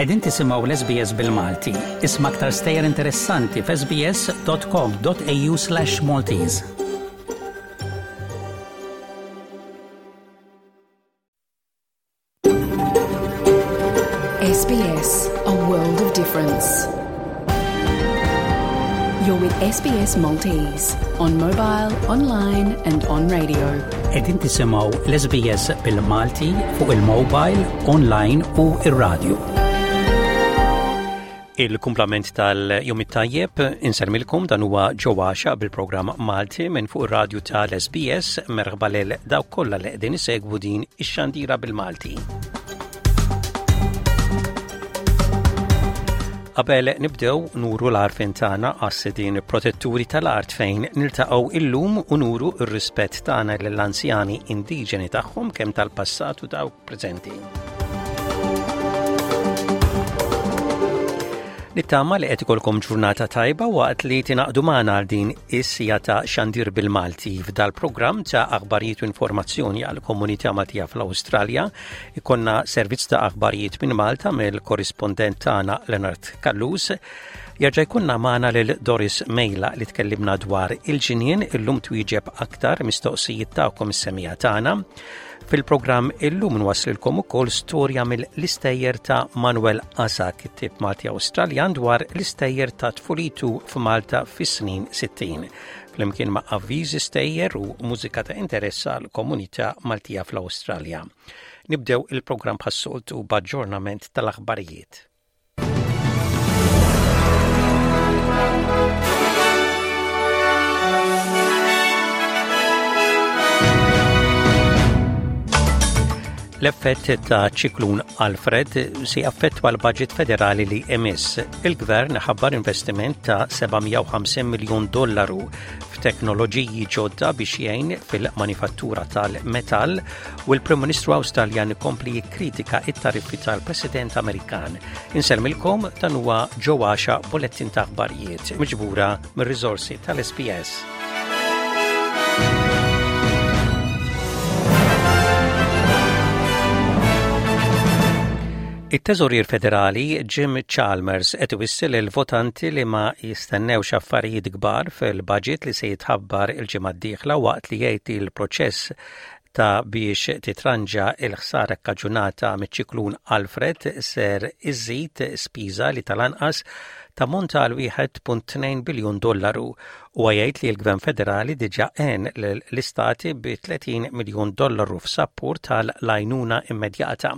Qegħdin tisimgħu l-SBS bil-Malti. Isma' aktar stejjer interessanti f'sbs.com.au/Maltese. SBS, a world of difference. You're with SBS Maltese on mobile, online and on radio. Qegħdin tisimgħu l-SBS bil-Malti fuq il-mobile, online u ir-radio. Il-kumplament tal-jum it-tajjeb insermilkom dan huwa ġewwaxa bil-programm Malti minn fuq ir-radju tal-SBS merħba lil dawk kollha li qegħdin isegwu din ix-xandira bil-Malti. Qabel nibdew nuru l-għarfien tagħna għas-sidien protetturi tal-art fejn niltaqgħu illum u nuru r-rispett tagħna lill-anzjani indiġeni tagħhom kemm tal-passat u dawk preżenti. Nittama li qed ikolkom ġurnata tajba waqt li tingħaqdu magħna għal din is-sija ta' xandir bil-Malti f'dal-programm ta' aħbarijiet u informazzjoni għal komunità Maltija fl-Awstralja. Ikonna servizz ta' aħbarijiet minn Malta mill-korrispondent tagħna Leonard Callus. Jerġa' jkunna magħna lil Doris Mejla li tkellimna dwar il-ġinien illum twieġeb aktar mistoqsijiet tagħkom is-semija tagħna. Fil-programm illum nwasslilkom ukoll storja mill-istejjer ta' Manuel Asa, kittieb Malti Awstraljan dwar l-istejjer ta' tfulitu f'Malta fis-snin 60. Flimkien ma' avviżi stejjer u mużika ta' interess għal komunità Maltija fl-Awstralja. Nibdew il-programm bħas-soltu b'aġġornament tal-aħbarijiet. L-effett ta' ċiklun Alfred se jaffettwa l-budget federali li emiss. Il-gvern ħabbar investiment ta' 750 miljun dollaru f'teknoloġiji ġodda biex jgħin fil-manifattura tal-metall u l-Prim Ministru Awstraljan ikompli jikkritika it-tariffi tal-President Amerikan. Insellmilkom dan huwa Joe Għaxa bulettin ta' aħbarijiet miġbura mir-riżorsi tal-SBS. It-Teżorier Federali Jim Chalmers qed iwissi lill-votanti li ma jistennewx affarijiet kbar fil-budget li se jitħabbar il-ġimgħa d-dieħla waqt li jgħid li l-proċess ta' biex titranġa l-ħsara kkaġunata miċ-ċiklun Alfred ser iżid spiża li tal-anqas tammonta għal 1.2 biljun dollaru. Huwa jgħid li l-Gvern Federali diġà għen lill-istati bi 30 miljun dollaru f'sapport tal-għajnuna immedjata.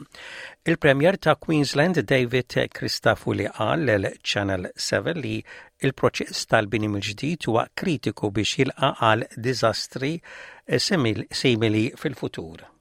Il-Premier ta' Queensland David Christafuli qal lil Channel 7 li Il-proċess tal-bini mill-ġdid huwa kritiku biex jilqa' għal diżastri simili fil-futur.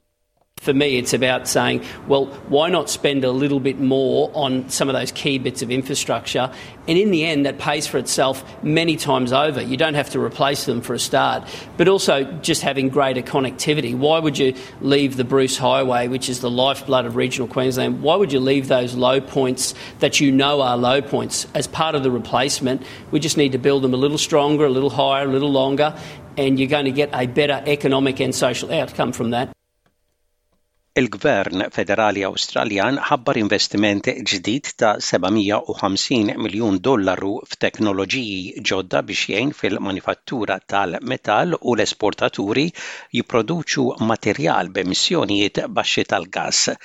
For me, it's about saying, well, why not spend a little bit more on some of those key bits of infrastructure? And in the end, that pays for itself many times over. You don't have to replace them for a start, but also just having greater connectivity. Why would you leave the Bruce Highway, which is the lifeblood of regional Queensland? Why would you leave those low points that you know are low points as part of the replacement? We just need to build them a little stronger, a little higher, a little longer, and you're going to get a better economic and social outcome from that. Il-Gvern Federali Awstraljan ħabbar investiment ġdid ta' 750 miljun dollaru f'teknoloġiji ġodda biex jgħin fil-manifattura tal-metall u l-esportaturi jipproduċu materjal b'emissjonijiet baxxi tal-gass.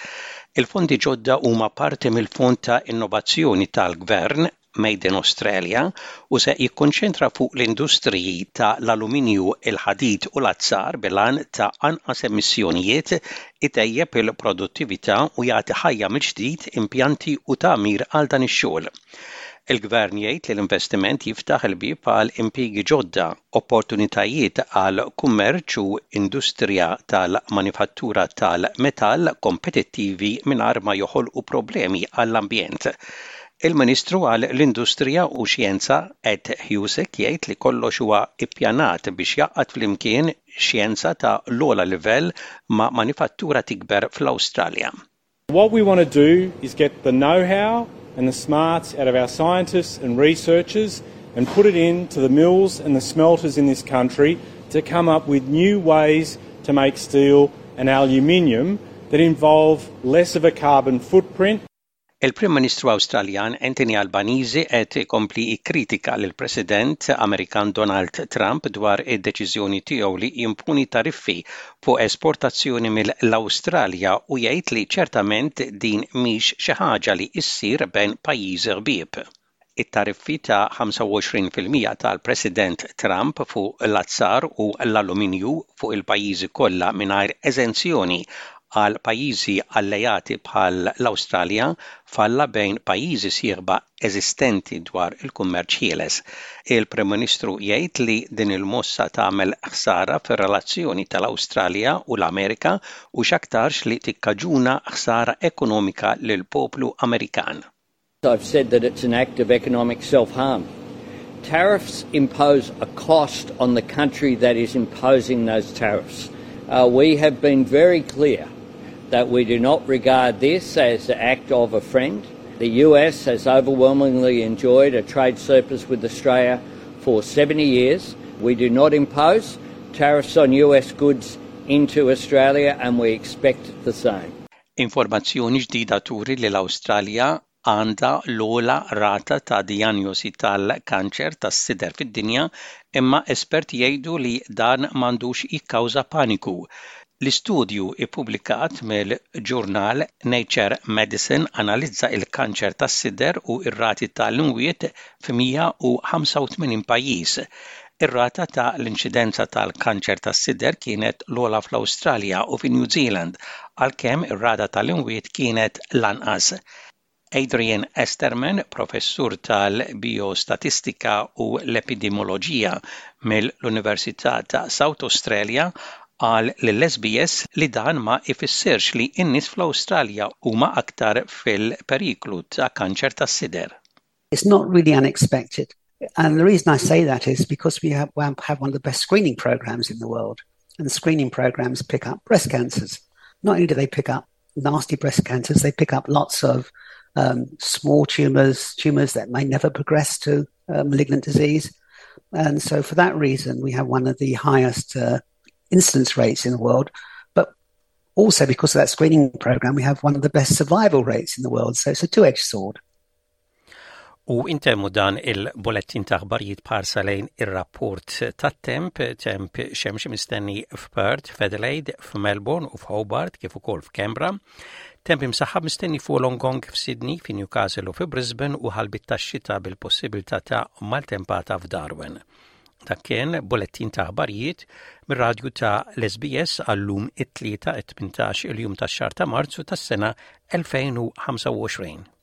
Il-fondi ġodda huma parti mill-Fond ta' Innovazzjoni tal-Gvern, Made in Australia, u se jikkonċentra fuq l-industriji ta' l-aluminju, il-ħadid u l-azzar bil-għan ta' anqas emissjonijiet, itejjeb il-produttività u jagħti ħajja mill-ġdid impjanti u tagħmir għal dan ix-xogħol. Il-Gvern jgħid li l-investiment jiftaħ il-bieb għal impjiegi ġodda, opportunitajiet għal kummerċ u industrija tal-manifattura tal-metall kompetittivi mingħajr ma joħolqu problemi għall-ambjent. Il-Ministru għal l-Industrija u Xjenza Ed Husic jgħid li kollox huwa ippjanat biex jgħaqqad flimkien xjenza ta' l-ogħla livell ma' manifattura tikber fl-Awstralja. What we want to do is get the know-how and the smarts out of our scientists and researchers and put it into the mills and the smelters in this country to come up with new ways to make steel and aluminium that involve less of a carbon footprint. Il-Prim Ministru Awstraljan Anthony Albanese qed ikompli jikkritika lill-President Amerikan Donald Trump dwar id-deċiżjoni tiegħu li jimponi tariffi fuq esportazzjoni mill-Awstralja u jgħid li ċertament din mhix xi ħaġa li ssir bejn pajjiżi ħbieb. It-tariffi ta' 25% tal-President Trump fuq l-azzar u l-aluminju fuq il-pajjiżi kollha mingħajr eżenzjoni għal pajjiżi alleati bħal l-Awstralja falla bejn pajjiżi sieħba eżistenti dwar il-kummerċ ħieles. Il-Prim Ministru jgħid li din il-mossa tagħmel ħsara fir-relazzjoni tal-Awstralja u l-Amerika u x'aktarx li tikkaġuna ħsara ekonomika lill-poplu Amerikan. I've said that it's an act of economic self-harm. Tariffs impose a cost on the country that is imposing those tariffs. Uh, we have been very clear that we do not regard this as the act of a friend. The US has overwhelmingly enjoyed a trade surplus with Australia for 70 years. We do not impose tariffs on US goods into Australia and we expect the same. Informazzjoni ġdida turi li l-Awstralja għandha l-ogħla rata ta' dijanjosi tal-kanċer tas-sider fid-dinja imma esperti jgħidu li dan m'għandux jikkawża paniku. L-istudju ippubblikat mill-ġurnal Nature Medicine analizza l-kanċer tas-sider u r-rati tal-imwiet f'185 pajjiż. Ir-rata ta' l-inċidenza tal-kanċer tas-sider kienet l-ogħla fl-Awstralja u fi New Zealand, għalkemm ir-rata tal-imwiet kienet l-anqas. Adrian Esterman, professur tal-bijostatistika u l-epidemioloġija mill-Università ta' South Australia, qal lill-SBS li dan ma ifissirx li n-nies fl-Awstralja huma aktar fil-periklu ta' kanċer tas-sider. It's not really unexpected. And the reason I say that is because we have, have one of the best screening programs in the world. And screening programs pick up breast cancers. Not only do they pick up nasty breast cancers, they pick up lots of um, small tumors, tumors that may never progress to uh, malignant disease. And so, for that reason, we have one of the highest uh, incidence rates in the world. But also, because of that screening program, we have one of the best survival rates in the world. So, it's a two edged sword. U intemmu dan il-bulettin ta' aħbarijiet b'ħarsa lejn ir-rapport tat-temp, temp xemxi mistenni f'Perth, f'Adelaide, f'Melbourne u f'Hobart kif ukoll f'Canberra. Temp imsaħħab mistenni f'Wollongong, f'Sydney, fi Newcastle u fi Brisbane u ħalbit tax-xita bil-possibilità ta' maltempata f'Darwin. Dak kien bulettin ta' aħbarijiet mir-radju ta' l-SBS għallum it-tlieta 18 il-jum tax-xahar ta' Marzu tas-sena 2025.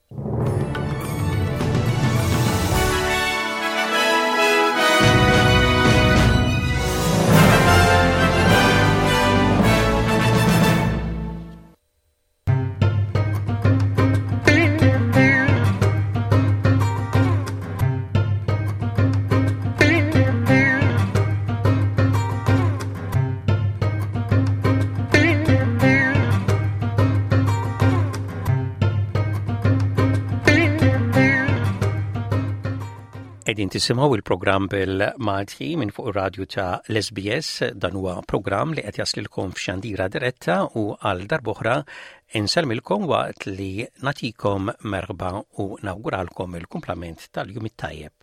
Qegħdin tisimgħu il-programm bil-Malti minn fuq ir-radju ta' l-SBS dan huwa programm li qed jaslilkom f'xandira diretta u għal darb'oħra insellmilkom waqt li nagħtikom merħba u nawguralkom il-kumplament tal-jum it-tajjeb.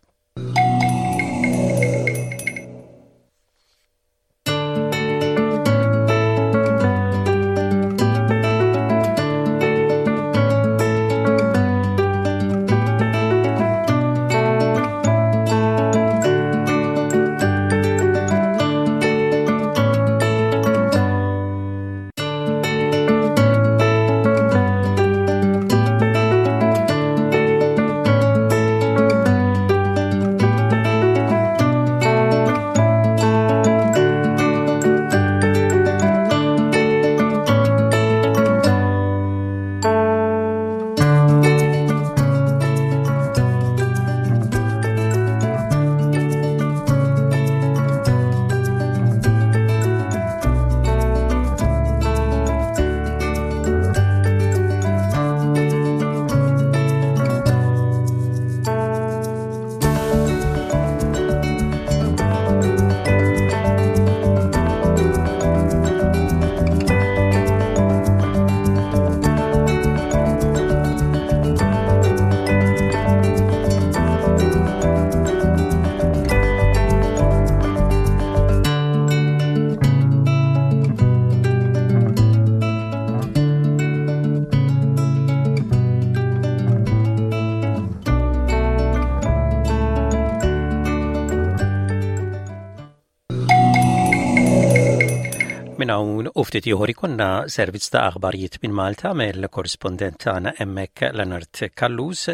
Minn hawn u ftit ieħor ikollna servizz ta' aħbarijiet minn Malta mill-korrispondent tagħna hemmhekk Leonard Callus.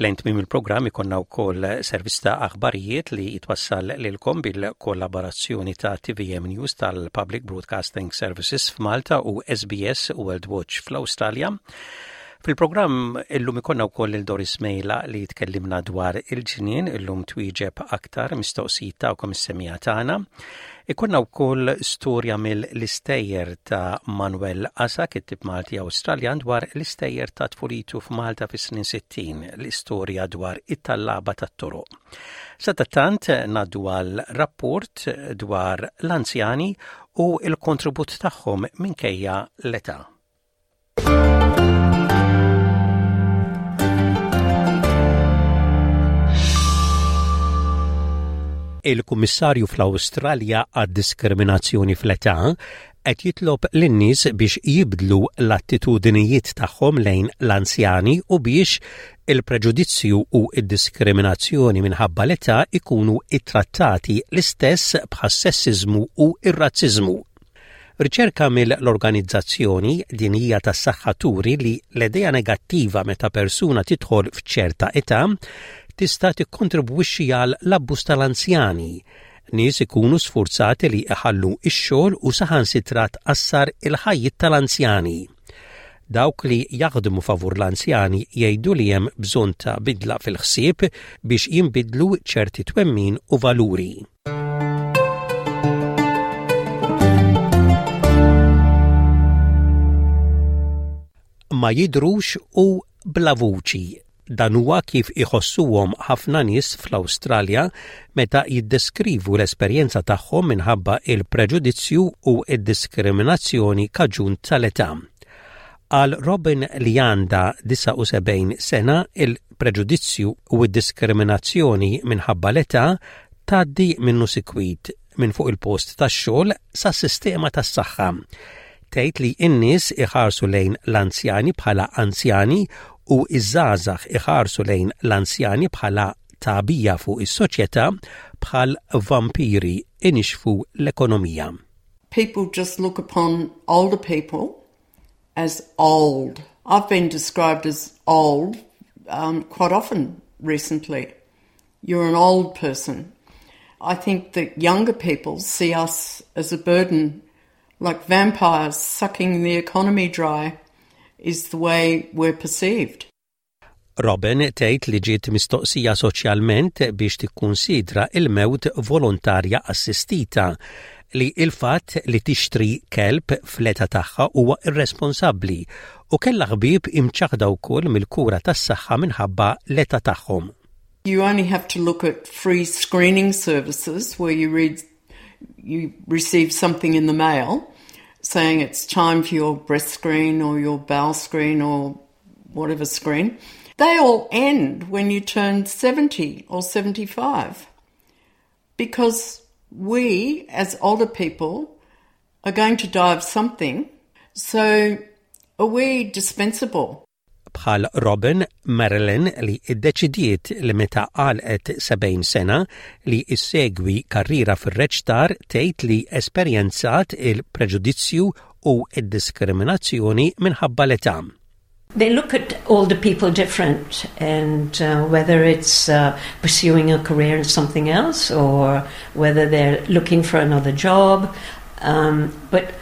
Lejn tmiem il-programm ikollna wkoll servizz ta' aħbarijiet li jitwassal lilkom bil-kollaborazzjoni ta' TVM News tal-Public Broadcasting Services f'Malta u SBS World Watch fl-Awstralja. Fil-programm illum ikollna wkoll lil Doris Mejla li tkellimna dwar il-ġnien illum twieġeb aktar mistoqsijiet tagħkom is-semija tagħna. Ikollna wkoll storja mill-istejjer ta' Manuel Asa, kittib Malti Awstraljan dwar l-istejjer ta' tfulitu f'Malta fis-snin 60, l-istorja dwar it-tallaba tat-toroq. Sadattant ngħaddu għal rapport dwar l-anzjani u l-kontribut tagħhom minkejja l-età. Il-Kummissarju fl-Awstralja għad-Diskriminazzjoni fl-Età qed jitlob lin-nies biex jibdlu l-attitudinijiet tagħhom lejn l-anzjani u biex il-preġudizzju u d-diskriminazzjoni minħabba l-età ikunu ttrattati l-istess bħas-sessiżmu u r-razziżmu. Riċerka mill-Organizzazzjoni Dinjija tas-Saħħa turi li l-idea negattiva meta persuna tidħol f'ċerta età tista' tikkontribwixxi għal l-abbuż tal-anzjani. Nies ikunu sfurzati li iħallu x-xogħol u saħansitra tqassar il-ħajjiet tal-anzjani. Dawk li jaħdmu favur l-anzjani jgħidu li hemm bżonn ta' bidla fil-ħsieb biex jinbidlu ċerti twemmin u valuri. Ma jidhrux u bla vuċi. Dan huwa kif iħossuhom ħafna nies fl-Awstralja meta jiddeskrivu l-esperjenza tagħhom minħabba il-preġudizzju u d-diskriminazzjoni kaġun tal-età. Għal Robin li għandha 79 sena, il-preġudizzju u d-diskriminazzjoni minħabba l-età tgħaddi minnu sikwit, minn fuq il-post tax-xogħol sas-sistema tas-saħħa. Tgħid li n-nies iħarsu lejn l-anzjani bħala anzjani u ż-żgħażagħ iħarsu lejn l-anzjani bħala tagħbija fuq is-soċjetà bħal vampiri inixxfu l-ekonomija. People just look upon older people as old. I've been described as old um, quite often recently. You're an old person. I think that younger people see us as a burden, like vampires sucking the economy dry, is the way we're perceived. Robin tgħid li ġiet mistoqsija soċjalment biex tikkunsidra il-mewt volontarja assistita li il-fatt li tixtri kelb fl-età tagħha huwa irresponsabbli u kellha ħbieb imċaħda wkoll mill-kura tas-saħħa minħabba l-età tagħhom. You only have to look at free screening services where you read you receive something in the mail saying it's time for your breast screen or your bowel screen or whatever screen. They all end when you turn 70 or 75 because we, as older people, are going to die of something. So are we dispensable? Bħal Robin, Marilyn li ddeċidiet li meta għalqet 70 sena li ssegwi karriera fir-reċtar tgħid li esperjenzat il-preġudizzju u d-diskriminazzjoni minħabba l-età. They look at older people different and uh, whether it's uh, pursuing a career in something else or whether they're looking for another job. Um, but,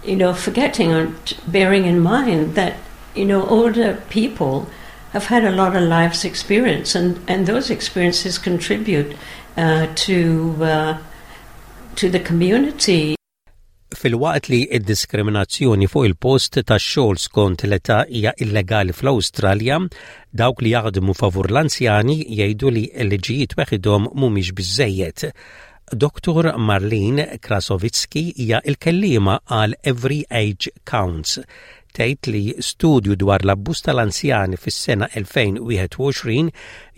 you know, forgetting or bearing in mind that, you know, older people have had a lot of life's experience and, and those experiences contribute uh, to, uh, to the community. Filwaqt li d-diskriminazzjoni fuq il-post tax-xogħol skont l-età hija illegali fl-Awstralja, dawk li jaħdmu favur l-anzjani jgħidu li l-liġijiet weħidhom mhumiex biżżejjed. Dottor Marlene Krasovitsky hija l-kelliema għal Every Age Counts. Tgħid li studju dwar l-abbuż tal-anzjani fis-sena 2021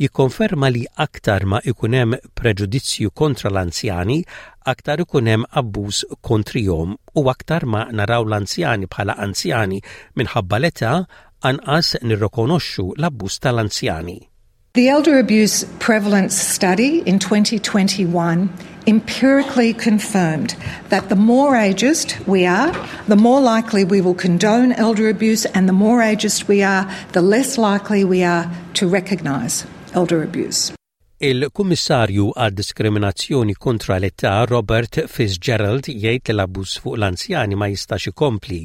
jikkonferma li aktar ma ikun hemm preġudizzju kontra l-anzjani, aktar ikun hemm abbuż kontrihom u aktar ma naraw l-anzjani bħala anzjani minħabba l-età, anqas nirrikonoxxu l-abbuż tal-anzjani. The Elder Abuse Prevalence Study in 2021 empirically confirmed that the more ageist we are, the more likely we will condone elder abuse, and the more ageist we are, the less likely we are to recognise elder abuse. Il-Kummissarju għad-Diskriminazzjoni kontra l-Età Robert Fitzgerald jgħid li l-abbuż fuq l-anzjani ma jistax ikompli.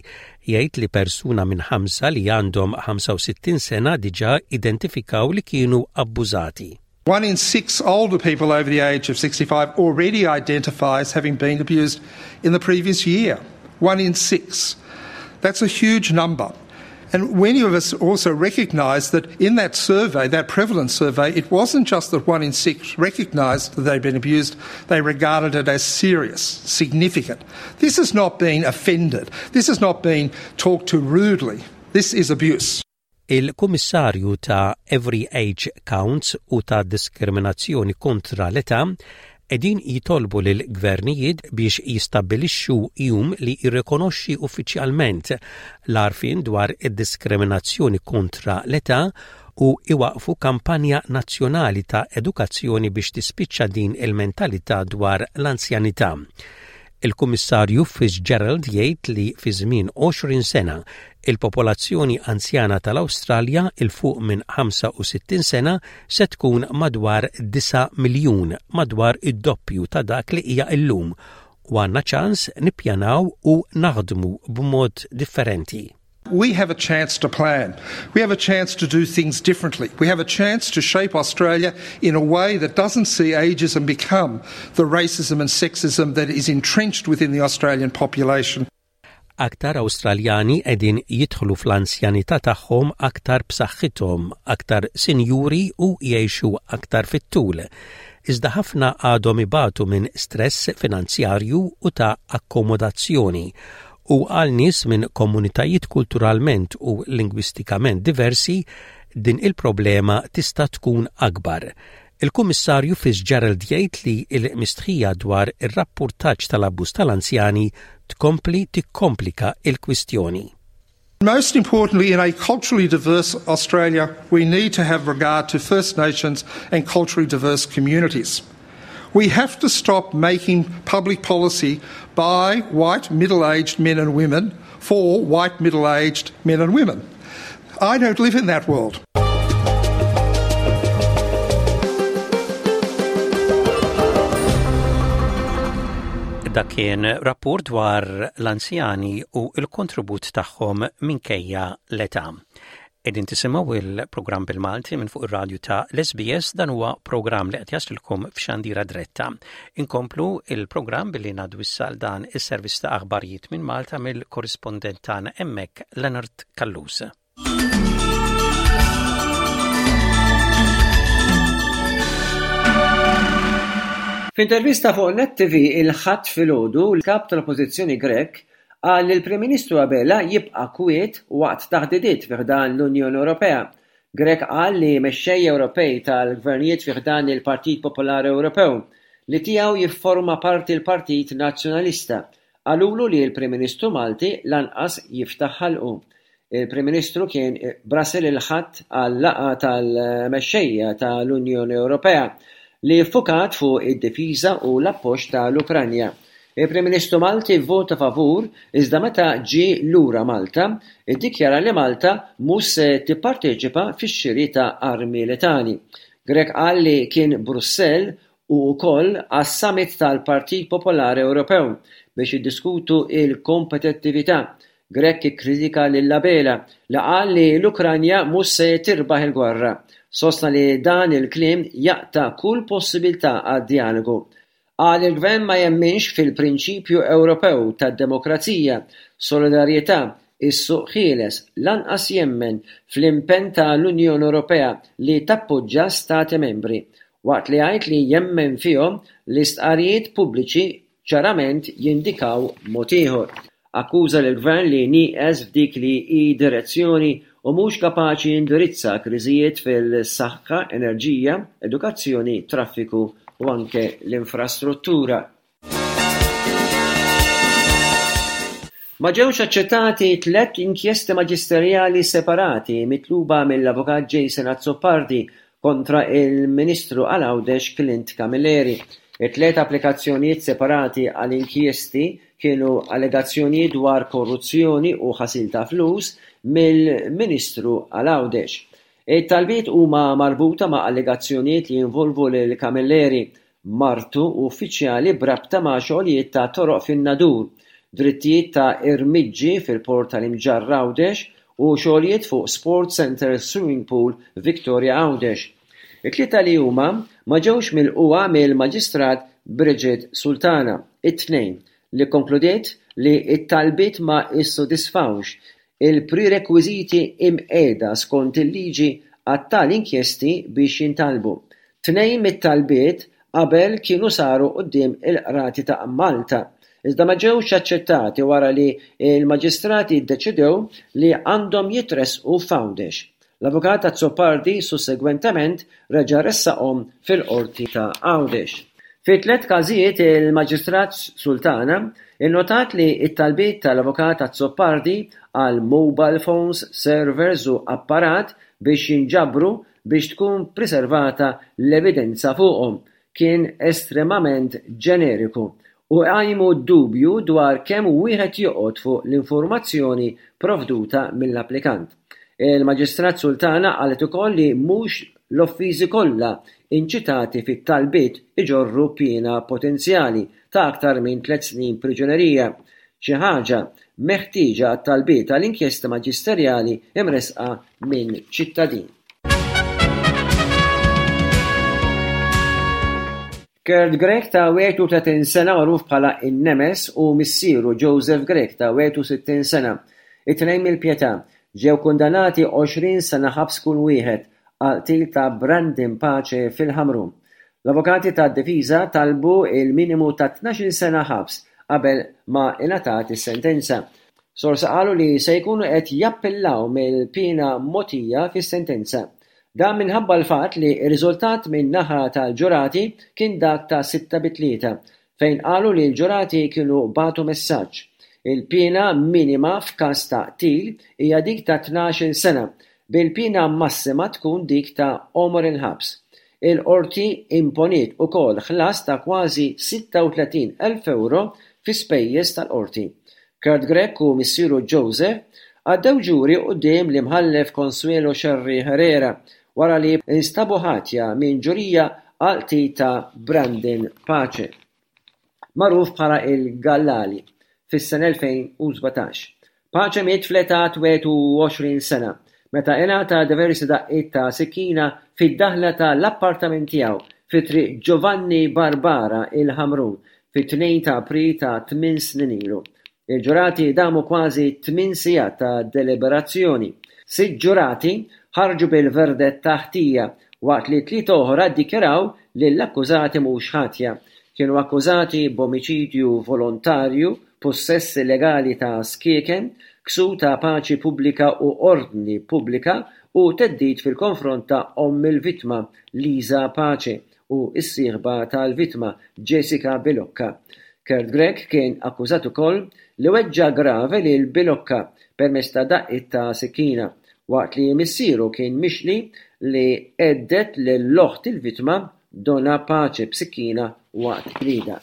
Jgħid li persuna minn ħamsa li għandhom 65 sena diġà identifikaw li kienu abbużati. One in six older people over the age of 65 already identifies having been abused in the previous year. One in six. That's a huge number. And many of us also recognise that in that survey, that prevalence survey, it wasn't just that one in six recognised that they'd been abused, they regarded it as serious, significant. This has not been offended. This has not been talked to rudely. This is abuse. Il-Kummissarju ta' Every Age Counts u ta' Diskriminazzjoni kontra l-Età qegħdin jitolbu lill-gvernijiet biex jistabbilixxu jum li jirrikonoxxi uffiċjalment l-għarfien dwar id-diskriminazzjoni kontra l-età u iwaqqfu kampanja nazzjonali ta' edukazzjoni biex tispiċċa din il-mentalità dwar l-anzjanità. Il-Kummissarju Fitzgerald jgħid li fi żmien 20 sena, il-popolazzjoni anzjana tal-Awstralja 'il fuq minn 65 sena se tkun madwar 9 miljun, madwar id-doppju ta' dak li hija llum, u għandna ċans nippjanaw u naħdmu b'mod differenti. We have a chance to plan. We have a chance to do things differently. We have a chance to shape Australia in a way that doesn't see ageism become the racism and sexism that is entrenched within the Australian population. Aktar Awstraljani qegħdin jidħlu fl-anzjanità tagħhom aktar b'saħħithom, aktar sinjuri u jgħixu aktar fit-tul. Iżda ħafna għadhom ibatu minn stress finanzjarju u ta' akkomodazzjoni u għal nies minn komunitajiet kulturalment u lingwistikament diversi, din il-problema tista' tkun akbar. Il-Kummissarju Fitzgerald jgħid li l-mistħija dwar ir-rappurtaġġ tal-abbuż tal-anzjani tkompli tikkomplika l-kwistjoni. Most importantly, in a culturally diverse Australia, we need to have regard to First Nations and culturally diverse communities. We have to stop making public policy by white middle-aged men and women for white middle-aged men and women. I don't live in that world. Dak kien rapport dwar l-anzjani u l-kontribut tagħhom minkejja l-età. Qegħdin tisimgħu il-programm bil-Malti minn fuq ir-radju ta' l-SBS dan huwa programm li qed jaslilkom f'xandira dretta. Inkomplu il-programm billi ngħaddu issa dan is-servizz ta' aħbarijiet minn Malta mill-korrispondent tagħna hemmhekk Leonard Callus. F'intervista fuq Net TV il-Ħadd filgħodu, l-Kap tal-Oppożizzjoni Grech qal li l-Prim Ministru Abela jibqa' kwiet waqt taħdidiet fi ħdan l-Unjoni Ewropea. Grech qal li mexxejja Ewropej tal-gvernijiet fi ħdan il-Partit Popolari Ewropew, li tiegħu jifforma parti l-Partit Nazzjonalista, qalulu li l-Prim Ministru Malti lanqas jiftaħ ħalqu. Il-Prim Ministru kien Brussel il-Ħadd għal laqgħa tal-mexxejja ta' l-Unjoni Ewropea li ffukat fuq id-difiża u l-appoġġ ta' l-Ukranja. Il-Prim Ministru Malti vvota favur iżda meta ġie lura Malta iddikjara li Malta mhux se tipparteċipa fix-xiri ta' armi letali. Grech qal li kien Brussell u wkoll għas-Summit tal-Partit Popolari Ewropew biex jiddiskutu l-kompetittività Grech ikkritika lil Abela li qal li l-Ukranja mhux se tirbaħ il-gwerra. Sostna li dan il-kliem jaqta' kull possibilità għad-djalogu. Qal li l-Gvern ma jemminx fil-prinċipju Ewropew tad-demokrazija, solidarjetà, is-suq ħieles, lanqas jemmen fl-impenn ta' l-Unjoni Ewropea li tappoġġa Stati Membri. Waqt li jgħid li jemmen fihom, l-istqarrijiet pubbliċi ċarament jindikaw mod ieħor. Akkuża lill-Gvern li nieqes f'dik li hi direzzjoni u mhux kapaċi jindirizza kriżijiet fil-saħħa, enerġija, edukazzjoni, traffiku u anke l-infrastruttura. Ma ġewx aċċettati tlett inkjesti maġisterjali separati mitluba mill-Avukat Jason Azzopardi kontra il-Ministru għal Għawdex Clint Camilleri. It-tliet applikazzjonijiet separati għal inkjesti kienu allegazzjonijiet dwar korruzzjoni u ħasil ta' flus mill-Ministru għal Għawdex. It-talbiet huma marbuta ma' allegazzjonijiet li jinvolvu lil Camilleri, martu u uffiċjali b'rabta ma' xogħlijiet ta' toroq fin-Nadur, drittijiet ta' irmiġġi fil-Port tal-Imġarr Għawdex u xogħlijiet fuq Sports Centre Swimming Pool Victoria Għawdex. It-tlieta li huma ma ġewx milqugħa mill-Maġistrat Bridget Sultana, it-Tnejn, li kkonkludiet li t-talbiet ma ssodisfawx il-prerekwiżiti imqiegħda skont il-liġi għat-tali inkjesti biex jintalbu. Tnejn mit-talbiet qabel kienu saru quddiem il-Qrati ta' Malta, iżda ma ġewx aċċettati wara li l-Maġistrati ddeċidew li għandhom jitressqu f'Għawdex. L-Avukat Azzopardi sussegwentement reġa' ressaqhom fil-Qorti ta' Għawdex. Fi tlett każijiet il-Maġistrat Sultana nnotat li t-talbiet tal-Avukat Azzopardi għal mobile phones, servers u apparat biex jinġabru biex tkun priservata l-evidenza fuqhom kien estremament ġeneriku u jqajmu dubju dwar kemm wieħed joqgħod fuq l-informazzjoni provduta mill-applikant. Il-Maġistrat Sultana qalet ukoll li mhux l-offiżi kollha inċitati fit-talbiet iġorru piena potenzjali ta' aktar minn tlett snin priġunerija, xi ħaġa meħtieġa għat-talbiet għal inkjesta maġisterjali mressqa minn ċittadin. Kurt Grech ta' 31 sena magħruf bħala In-Nemes u missieru Joseph Grech ta' 61 sena, it-tnejn mill-Pietà, ġew kundannati 20 sena ħabs kull wieħed għall-qtil ta' Brandon Pace fil-Ħamrun. L-avukati tad-difiża talbu l-minimu ta' 12-il sena ħabs qabel ma ingħatat is-sentenza. Sorsi qalu li se jkunu qed jappillaw mill-piena mogħtija fis-sentenza. Dan minħabba l-fatt li r-riżultat minn naħa tal-ġurati kien dak ta' sitta bi tlieta, fejn qalu li l-ġurati kienu bagħtu messaġġ. Il-piena minima f'każ ta' qtil hija dik ta' 12-il sena, bil-piena massima tkun dik ta' għomor il-ħabs. Il-Qorti imponiet ukoll ħlas ta' kważi 36 elf ewro fi spejjeż tal-Qorti. Kurt Grech u missieru Joseph għaddew ġuri quddiem l-Imħallef Consuelo Scerri Herrera wara li nstabu ħatja minn ġurija għall-qtil ta' Brandon Pace, magħruf bħala il-Gallali, fis-sena 2017. Pace miet fl-età 21 sena meta ingħata diversi daqqiet ta' sikkina fid-daħla ta' l-appartament tiegħu fi Triq Giovanni Barbara, il-Ħamrun, fit-2 ta' April ta' tminn snin ilu. Il-ġurati damu kważi tminn sigħat ta' deliberazzjoni. Sitt ġurati ħarġu bil-verdett ta' ħtija waqt li tlieta oħra ddikjaraw lill-akkużati mhux ħatja. Kienu akkużati b'omiċidju volontarju, pussess illegali ta' skieken, ksur ta' paċi pubblika u ordni pubblika u theddid fil-konfront ta' omm il-vittma, Lisa Pace, u s-sieħba tal-vittma, Jessica Bilocca. Kurt Grech kien akkużat ukoll li weġġa' grave lil Bilocca permezz ta' daqqiet ta' sikkina, waqt li missieru kien mixli li hedded lil oħt il-vittma, Donna Pace b'sikkina waqt ġlieda.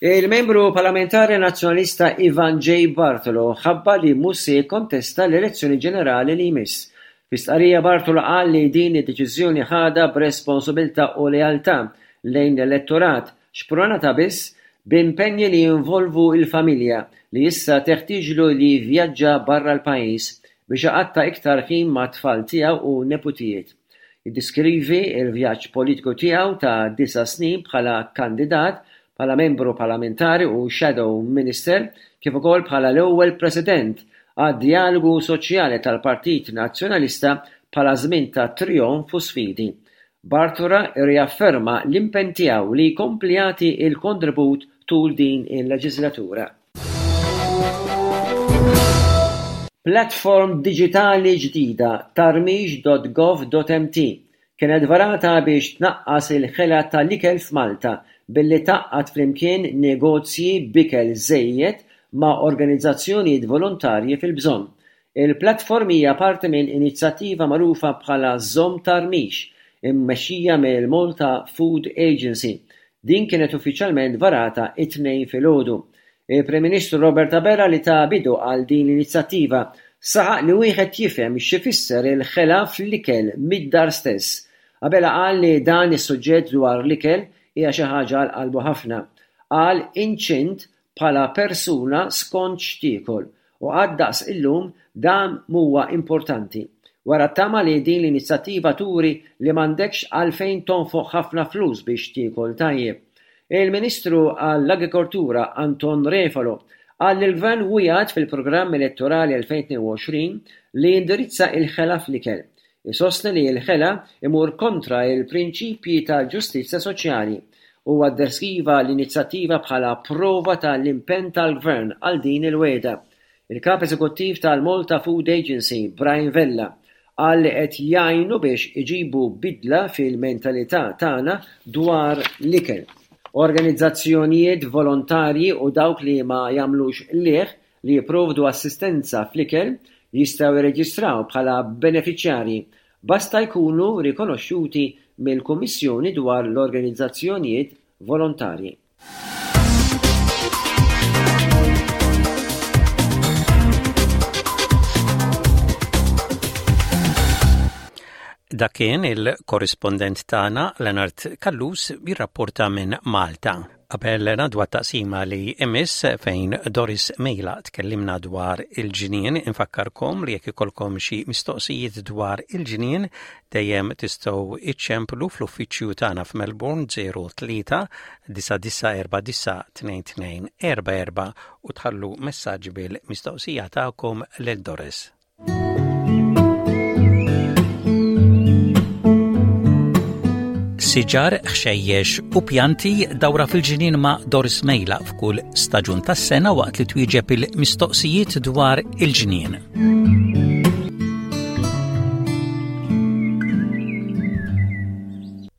Il-Membru Parlamentari Nazzjonalista Ivan J. Bartolo ħabbar li mhux se jikkontesta l-elezzjoni ġenerali li jmiss. Fi stqarrija Bartolo qal li din id-deċiżjoni ħadha b'responsabiltà u lealtà lejn l-elettorat, xprunata biss b'impenji li jinvolvu l-familja li issa teħtieġlu li jivvjaġġa barra l-pajjiż biex iqatta' iktar ħin mat-tfal tiegħu u neputijiet. Jiddeskrivi l-vjaġġ politiku tiegħu ta' disa' snin bħala kandidat, bħala membru parlamentari u shadow minister, kif ukoll bħala l-ewwel President għad-Djalogu Soċjali tal-Partit Nazzjonalista bħala żmien ta' trijonf u sfidi. Bartora rriafferma l-impenn tiegħu li jkompli jagħti l-kontribut tul din il-leġiżlatura. Platform diġitali ġdida, tarmix.gov.mt, kienet varata biex tnaqqas il-ħela tal-ikel f'Malta billi tgħaqqad flimkien negozji b'ikel żejjed ma' organizzazzjonijiet volontarji fil-bżonn. Il-platform hija parti minn inizjattiva magħrufa bħala Żomm Tarmix. immexxija mill-Malta Food Agency. Din kienet uffiċjalment varata t-Tnejn filgħodu. Il-Prim Ministru Robert Abela li ta bidu għal din l-inizjattiva saħaq li wieħed jifhem x'ifisser il-ħela fl-ikel mid-dar stess. Abela qal li dan is-suġġett dwar l-ikel hija xi ħaġa għal qalbu ħafna. Qal inċint bħala persuna skont x'tiekol u qatt daqs illum dan m'huwa importanti. Wera t-tama li din l-inizjattiva turi li m'għandekx għalfejn tonfoq ħafna flus biex tiekol tajjeb. Il-Ministru għall-Agrikoltura Anton Refalo qal li l-Gvern wiegħed fil-programm elettorali 2022 li jindirizza il-ħela fl-ikel. Isostni li l-ħela imur kontra l-prinċipji ta' ġustizzja soċjali. Huwa ddeskriva l-inizjattiva bħala prova ta' l-impenn tal-Gvern għal din il-wegħda. Il-Kap Eżekuttiv tal-Malta Food Agency, Brian Vella, qal li qed jgħinu biex iġibu bidla fil-mentalità tagħna dwar l-ikel. Organizzazzjonijiet volontarji u dawk li ma jagħmlux qligħ li jipprovdu assistenza fl-ikel jistgħu jirreġistraw bħala benefiċjarji, basta jkunu rikonoxxuti mill-Kummissjoni dwar l-Organizzazzjonijiet Volontarji. Dak kien il-korrispondent tagħna Leonard Callus jirrapporta minn Malta. Qabel ngħaddu għat-taqsima li imiss fejn Doris Mejla tkellimna dwar il-ġnien, infakkarkom li jekk ikollkom xi mistoqsijiet dwar il-ġnien dejjem tistgħu iċċemplu fl-uffiċċju tagħna f'Melbourne 03 9949 2244 u tħallu messaġġ bil-mistoqsija tagħkom lil Doris. Siġar, ħxejjex u pjanti dawra fil-ġinien ma' Doris Mejla f'kull staġun tas-sena waqt li twieġeb il-mistoqsijiet dwar il-ġnien.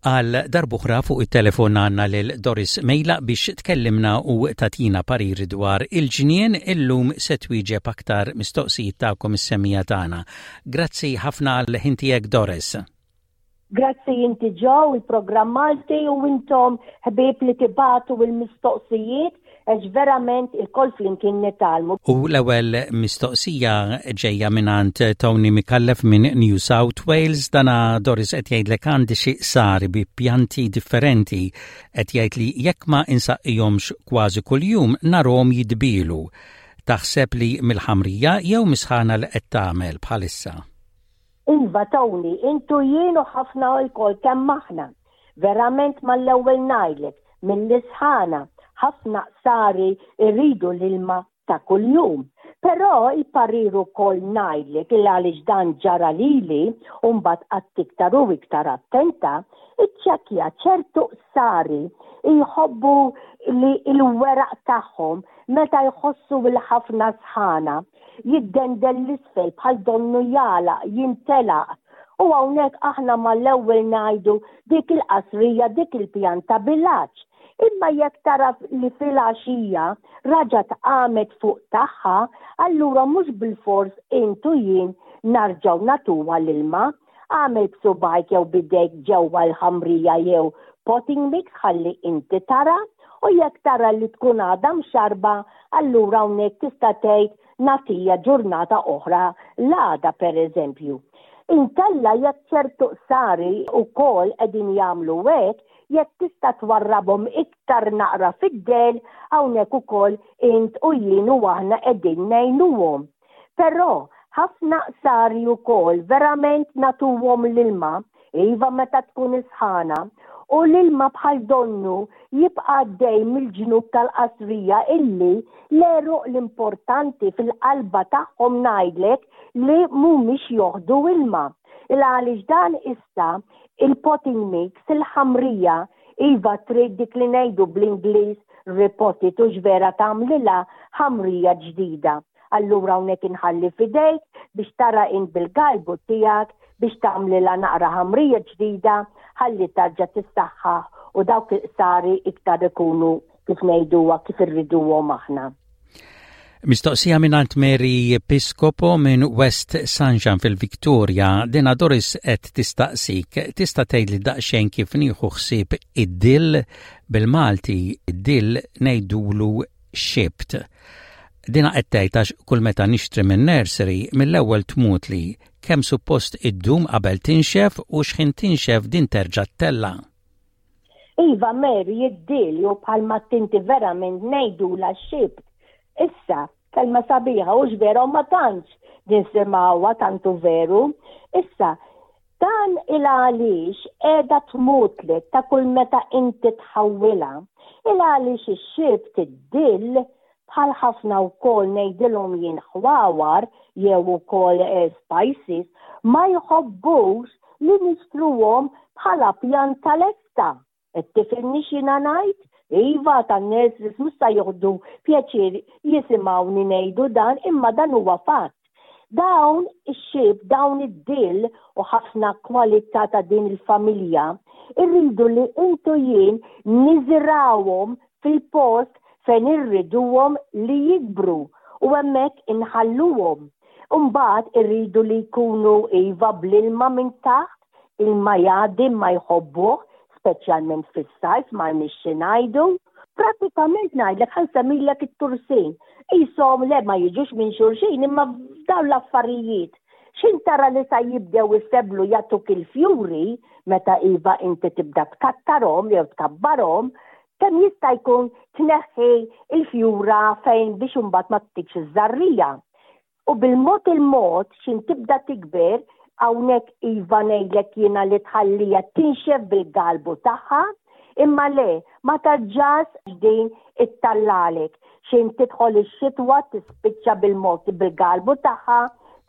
Għal darb'oħra fuq it-telefon għandna lil Doris Mejla biex tkellimna u tagħtina pariri dwar il-ġnien illum se twieġeb aktar mistoqsijiet tagħkom is-semmiegħa tagħna. Grazzi ħafna għal ħin tiegħek Doris. Grazzi inti Joe, il-programm Malti u intom ħbieb li tibagħtu l-mistoqsijiet għax verament ilkoll flimkien nitgħallmu. U l-ewwel mistoqsija ġejja mingħand Tony Micallef minn New South Wales. Dana Doris qed jgħidlek għandi xi qsari bi pjanti differenti. Qed jgħid li jekk ma insaqqihomx kważi kuljum narhom jidbielu. Taħseb li mill-ħamrija jew mis-sħana li qed tagħmel bħalissa? Iva Tony, int u jien u ħafna lkoll kemm aħna. Verament mal-ewwel ngħidlek, mill-isħana, ħafna qsari jridu l-ilma ta' kuljum. Però il-parir ukoll ngħidlek il għaliex dan ġara lili u mbagħad qgħadt iktar u iktar attenta, iċċekkja ċertu qsari jħobbu li l-weraq tagħhom meta jħossu l-ħafna sħana jiddendel 'l isfel bħal donnu jagħlaq, jintelaq. U hawnhekk aħna mal-ewwel ngħidu dik il-qasrija, dik il-pjanta bil-għatx. Imma jekk tara li filgħaxija raġgħet qamet fuq tagħha, allura mhux bilfors int u jien narġgħu nagħtuha l-ilma. Agħmel b'subgħajk jew b'idejk ġewwa l-ħamrija jew potting mix ħalli inti tara u jekk tara li tkun għadha mxarrba allura hawnhekk tista' tgħid nagħtiha ġurnata oħra l-għada pereżempju. Inkella jekk ċertu qsari wkoll qegħdin jagħmlu hekk, jekk tista' twarrabhom iktar naqra fid-dell hawnhekk ukoll int u jien u aħna qegħdin ngħinuhom. Però ħafna qsari wkoll verament nagħtuhom l-ilma, iva meta tkun is-sħana, u l-ilma bħal donnu jibqa' għaddej mill-ġnub tal-qasrija illi l-għeruq l-importanti fil-qalba tagħhom ngħidlek li mhumiex joħdu ilma. Il għaliex dan issa il-potting mix, il-ħamrija, iva trid dik li ngħidu bl-Ingliż repot it hux vera tagħmlilha ħamrija ġdida. Allura hawnhekk inħalli f'idejk biex tara int bil-galbu tiegħek biex tagħmlilha naqra ħamrija ġdida ħalli tarġa' tissaħħaħ u dawk il-qsari iktar ikunu kif ngħiduha kif irriduhom aħna. Mistoqsija mingħand Mary Piscopo minn West Sunshine fil-Victoria, dina Doris qed tistaqsik, tista' tgħidli daqsxejn kif nieħu ħsieb id-dill bil-Malti id-dill ngħidulu xibt. Dina qed tgħid għax kull meta nixtri minn nursery mill-ewwel tmutli kemm suppost iddum qabel tinxef u x'ħin tinxef din terġa' ttella'. Iva Mary id-dill jew bħalma tinti verament ngħidulha xibt. Issa, kelma sabiħa hux vera u ma tantx nisimgħuha tant hu veru. Issa, dan il għaliex qiegħda tmutlek ta' kull meta inti tħawwilha. Il għaliex ix-xibt id-dill bħal ħafna wkoll ngħidilhom jien ħwawar jew ukoll eh, spices ma jħobbux li nixtruhom bħala pjanta lesta. Qed tifhimni x'jiena ngħid? Iva, tan-nurseries mhux sa joħdu pjaċir jisimgħuni ngħidu dan, imma dan huwa fatt. Dawn ix-xieb, dawn id-dill u ħafna kwalità ta' din il-familja, irridu li intu jien niżirgħuhom fil-post fejn irriduhom li jikbru u hemmhekk inħalluhom. Imbagħad irridu li jkunu iva bl-ilma minn taħt, ilma jgħaddi imma jħobbuh, speċjalment fis-sajf m'għandniex xi ngħidu. Prattikament ngħidlek ħa nsemmilek it-tursin. Qishom le ma jiġux minn xulxin imma f'dawn l-affarijiet. X'ħin tara li sa jibdew isebblu jagħtuk il-fjuri meta iva inti tibda tkattarhom jew tkabbarhom, kemm jista' jkun tneħħi l-fjura fejn biex imbagħad ma ttikx iż-żarrija. U bil-mod il-mod x'in tibda tikber, hawnhekk iva ngħidlek jiena li tħalliha tinxef bil-galbu tagħha, imma le, ma tarġax din ittallalek. X'in tidħol ix-xitwa tispiċċa bil-mod bil-galbu tagħha,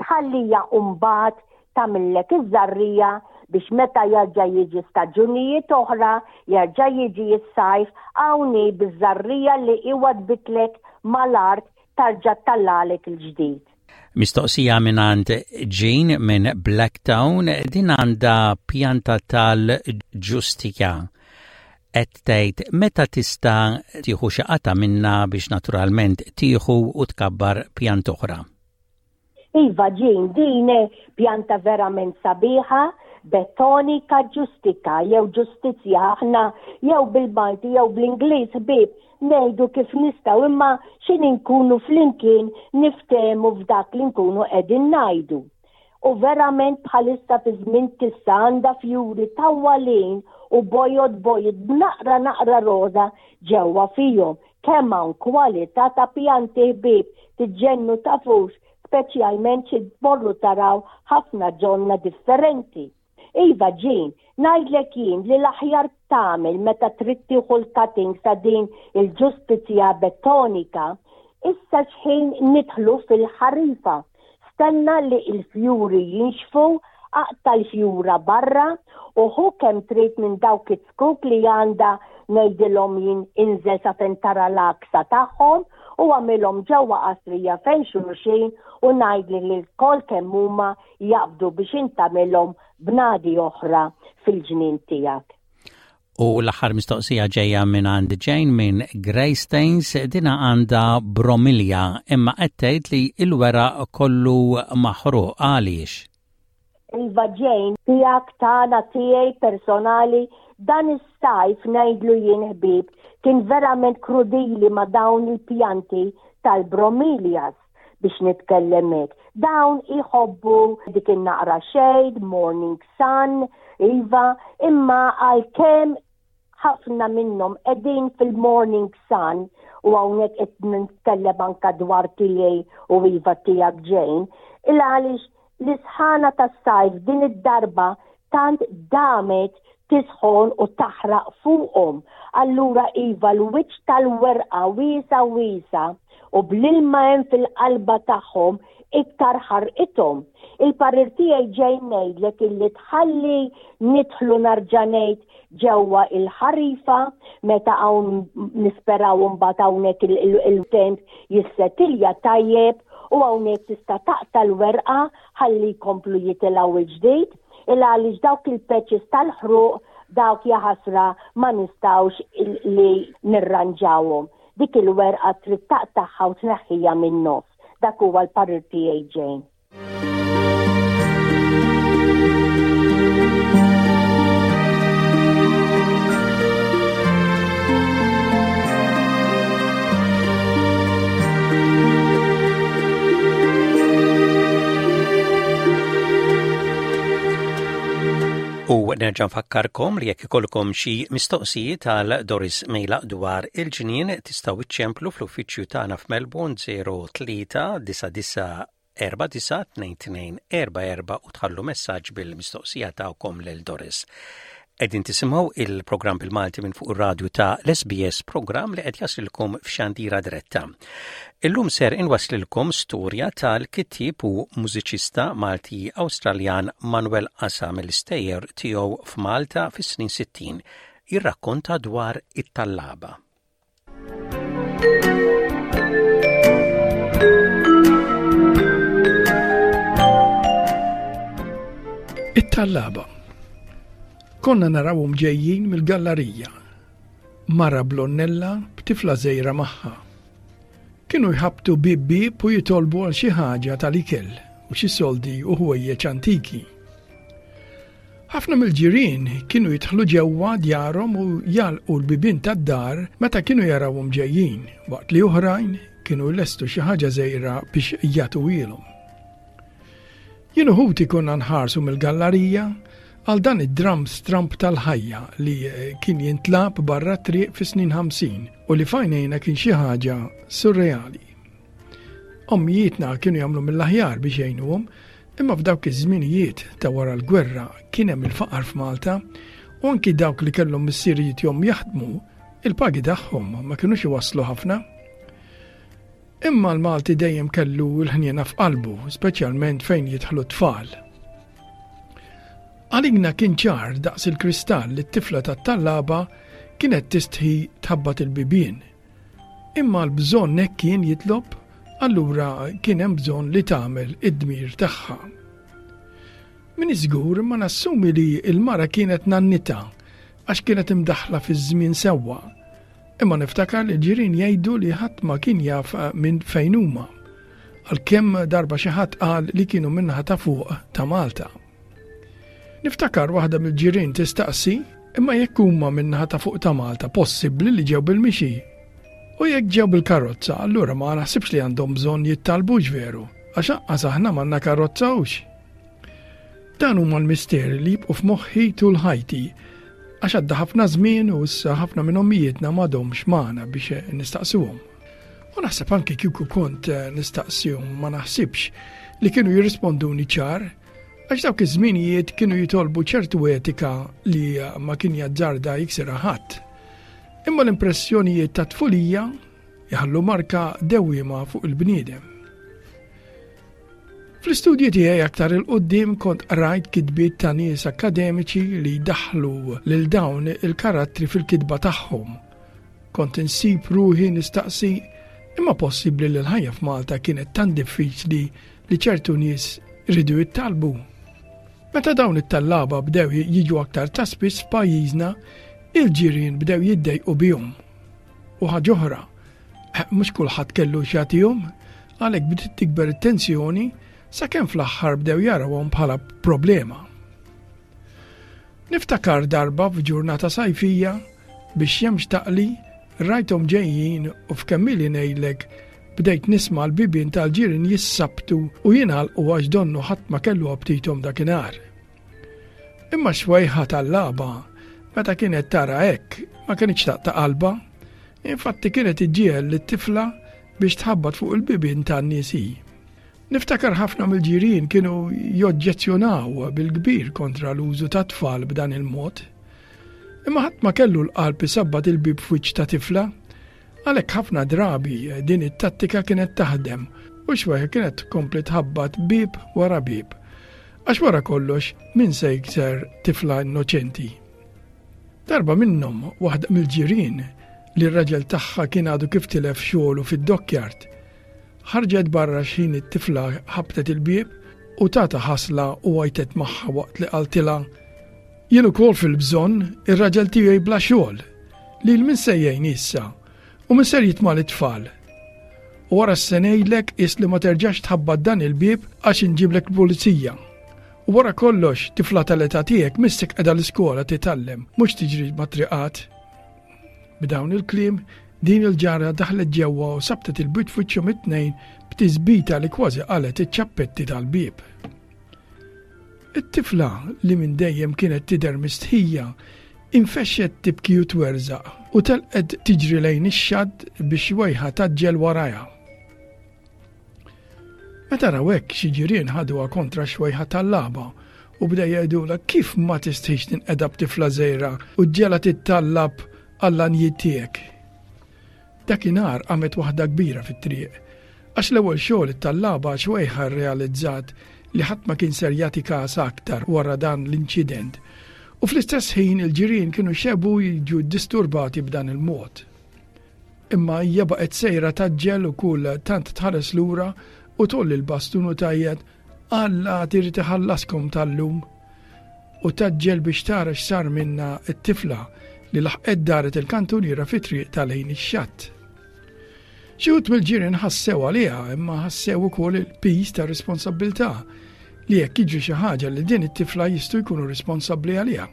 tħalliha u mbagħad tagħmillek iż-żarrija biex meta jerġa' jiġi staġunijiet oħra, jerġa' jiġi s-sajf, hawn hi biż-żarrija li hi wadbitlek mal-art tarġa' ttallagħlek il-ġdid. Mistoqsija mingħand Jean minn Blacktown, din għandha pjanta tal-ġustika. Qed tgħid meta tista' tieħu xi qatgħa minnha biex naturalment tieħu u tkabbar pjanta oħra. Iva Jean, din pjanta verament sabiħa, betonika ġustika jew ġustizzja aħna jew bil-Malti jew bl-Ingliż ħbieb ngħidu kif nistgħu imma x'in inkunu flimkien niftehmu f'dak li nkunu qegħdin ngħidu. U verament bħalissa fi żmien tissa għandha fjuri tawwalin u bojod bojod b'naqra naqra roża ġewwa fihom. Kemm hawn kwalità ta' pjanti ħbieb tiġġennu tafux, speċjalment xi tmorru taraw ħafna ġonna differenti. Iva Jean, ngħidlek jien li l-aħjar tagħmel meta trid tieħu l-cuttings ta' din il-ġustizzja bettonika, issa x'ħin nidħlu fil-ħarifa. Stenna li l-fjuri jinxfu, aqta' l-fjura barra u ħu kemm trid minn dawk iz-zkuk li għandha ngħidilhom jien inżel sa fejn tara l-għaksa tagħhom u agħmilhom ġewwa qasrija fejn xulxin u ngħidli li lkoll kemm huma jaqbdu biex int tagħmilhom bnadi oħra fil-ġnien tiegħek. U l-aħħar mistoqsija ġejja minn għand Jane minn Greystanes, dina għandha bromilja imma qed tgħid li l-weraq kollu maħruq għaliex? Iva Jane, tiegħek tagħna tiegħi personali, dan is-sajf ngħidlu jien ħbieb kien verament krudili ma' dawn il-pjanti tal-bromelias. biex nitkellem hekk. Dawn iħobbu dik in-naqra shade, morning sun, iva, imma għalkemm ħafna minnhom qegħdin fil-morning sun u hawnhekk qed nitkellem anka dwar tiegħi u iva tiegħek Jane, il għaliex L-isħana tas-sajf din id-darba tant damet tisħon u taħraq fuqhom. Allura iva l-wiċċ tal-werqa wiesa' wiesa' u bl-ilma hemm fil-qalba tagħhom iktar ħarqithom. Il-parir tiegħi ġej ngħidlek illi tħalli nidħlu narġa' ngħid ġewwa il-ħarifa meta hawn nisperaw imbagħad hawnhekk il-temp jissetilja tajjeb u hawnhekk tista' taqta' l-werqa ħalli jkomplu jitilgħu il-ġdid il għaliex dawk il-patches tal-ħruq dawk jaħasra ma nistgħux li nirranġawhom. Dik il-werqa trid taqtagħha u tneħħiha min-nofs. Dak huwa l-parir tiegħi Jane. U nerġa' nfakkarkom li jekk ikollkom xi mistoqsijiet għal Doris Mejlaq dwar il-ġnien tistgħu iċċemplu fl-uffiċċju tagħna f'Melbourne 03 99 492244 u tħallu messaġġ bil-mistoqsija tagħkom lil Doris. Qegħdin tisimgħu il-programm bil-Malti minn fuq ir-radju ta' l-SBS programm li qed jaslilkom f'xandira diretta. Illum ser inwaslilkom storja tal-kittieb u mużiċista Malti Awstraljan Manuel Asa mill-istejjer tiegħu f'Malta fis-snin 60. Jirrakkonta dwar it-tallaba. It-tallaba. Konna narawhom ġejjin mill-gallarija. Mara blonnella b'tifla żgħira magħha. Kienu jħabbtu bieb bieb u jitolbu għal xi ħaġa tal-ikel u xi soldi u ħwejjeġ antiki. Ħafna mill-ġirien kienu jidħlu ġewwa djarhom u jagħlqu l-bibien tad-dar meta kienu jarawhom ġejjin, waqt li oħrajn kienu jlestu xi ħaġa żgħira biex jagħtuhielhom. Jien u ħuti konna nħarsu mill-gallarija għal dan id-dramm stramb tal-ħajja li kien jintlagħab barra t-triq fis-snin 50 u li f'għajnejna kien xi ħaġa surreali. Ommijietna kienu jagħmlu mill-aħjar biex jgħinuhom, imma f'dawk iż-żminijiet ta' wara l-gwerra kien hemm il-faqar f'Malta u anki dawk li kellhom missirijiet jom jaħdmu, il-pagi tagħhom ma kinux iwasslu ħafna. Imma l-Malti dejjem kellu l-ħniena f'qalbu, speċjalment fejn jidħlu t-tfal. Għalina kien ċar daqs il-kristall li t-tifla tat-tallaba kienet tistħi tħabbat il-bibien. Imma l-bżonn hekk kien jitlob, allura kien hemm bżonn li tagħmel id-dmir tagħha. M'iniex żgur imma nassumi li l-mara kienet nannitha għax kienet imdaħħla fiż-żmien sewwa. Imma niftakar li l-ġirien jgħidu li ħadd ma kien jaf minn fejn huma. Għalkemm darba xi ħadd qal li kienu min-naħa ta' fuq ta' Malta. Niftakar waħda mill-ġirien tistaqsi, imma jekk huma min-naħa ta' fuq ta' Malta possibbli li ġew bil-mixi? U jekk ġew bil-karozza, allura ma naħsibx li għandhom bżonn jittalbux veru, għax anqas aħna m'għandna karozza hux. Dan huma l-misteri li jibqgħu f'moħħi tul ħajti, għax għadda ħafna żmien u issa ħafna minn ommijietna m'għadhomx magħna biex nistaqsuhom. U naħseb anki kieku kont nistaqsihom ma naħsibx li kienu jirrisponduni ċar Għax dawk iż-żminijiet kienu jitolbu ċertu etika li ma kien jazzarda jiksirha ħadd. Imma l-impressjonijiet ta' tfulija jħallu marka dewwiema fuq il-bniedem. Fl-istudji tiegħi aktar il-qudiem kont qrajt kitbiet ta' nies akkademiċi li jdaħħlu lil dawn il-karattri fil-kitba tagħhom. Kont insib ruħi nistaqsi imma possibbli li l-ħajja f'Malta kienet tant diffiċli li ċertu nies riedu jittalbu. Meta dawn it-tallaba bdew jiġu aktar ta' spiss f'pajjiżna, il-ġirien bdew jiddejqu bihom. U ħaġa oħra, eh, mhux kulħadd kellu x'jagħtihom, għalhekk bdiet tikber it-tensjoni sakemm fl-aħħar bdew jarawhom bħala problema. Niftakar darba f'ġurnata sajfija bix-xemx taqli rajthom ġejjin u f'kemm ili ngħidlek bdejt nisma' l-bibien tal-ġirien jissabtu u jingħalqu għax donnu ħadd ma kellu aptithom dakinhar. Imma x-xwejħa tal-lagħba meta kienet tara hekk ma kinitx taqta' qalbha. Infatti kienet iġġiegħel lit-tifla biex tħabbat fuq il-bibien tan-nies hi. Niftakar ħafna mill-ġirien kienu joġġezzjonaw bil-kbir kontra l-użu ta' tfal b'dan il-mod. Imma ħadd ma kellu l-qalb isabbat il-bieb f'wiċċ ta' tifla, għalhekk ħafna drabi din it-tattika kienet taħdem u xweħ kienet tkompli tħabbat bieb wara bieb. Għax wara kollox min se jikser tifla innoċenti? Darba minnhom waħda mill-ġirien li r-raġel tagħha kien għadu kif tilef xogħlu fid-dockyard Ħarġet barra x'ħin it-tifla ħabtet il-bieb u tatha ħasla u għajtet magħha waqt li qaltilha, Jien ukoll fil-bżonn, ir-raġel tiegħi bla xogħol. Lil min se jgħin issa? U min ser jitma' lit-tfal? U wara se ngħidlek is li ma terġax tħabbat dan il-bieb għax inġiblek l-pulizija. U wara kollox, tifla tal-età tiegħek missek qiegħda l-iskola titgħallem, mhux tiġri mat-triqat. B'dawn il-kliem, din il-ġara daħlet ġewwa u sabtet il-bieb f'wiċċhom it-tnejn b'tisbita li kważi qalgħet iċ-ċappetti tal-bieb. It-tifla, li minn dejjem kienet tidher mistħija, infexxet tibki u twerżaq u telqet tiġri lejn ix-xatt bix-xwejħa tgħaġġel warajha. Meta raw hekk xi ġirien ħaduha kontra x-xwejħa tallaba u bdew jgħidulha kif ma tistħix tinqeda b'tifla żgħira u ġġegħla tittallab għall-għanjiet tiegħek. Dakinhar qamet waħda kbira fit-triq, għax l-ewwel xogħol it-tallaba xwejħa rrealizzat li ħadd ma kien ser jagħti kasha aktar wara dan l-inċident u fl-istess ħin il-ġirien kienu xebgħu jiġu ddisturbati b'dan il-mod. Imma hija baqgħet sejra tgħaġġel u kull tant tħares lura u tgħolli l-bastun u tgħajjat Alla għad irid iħallaskom tal-lum! U tgħaġġel biex tara x'sar minnha t-tifla li laħqet daret il-kantuniera fi triq ta' lejn ix-xatt. Xi wħud mill-ġirien ħassew għaliha imma ħassew ukoll il-piż tar-responsabbiltà li jekk jiġri xi ħaġa lil din it-tifla jistgħu jkunu responsabbli għaliha.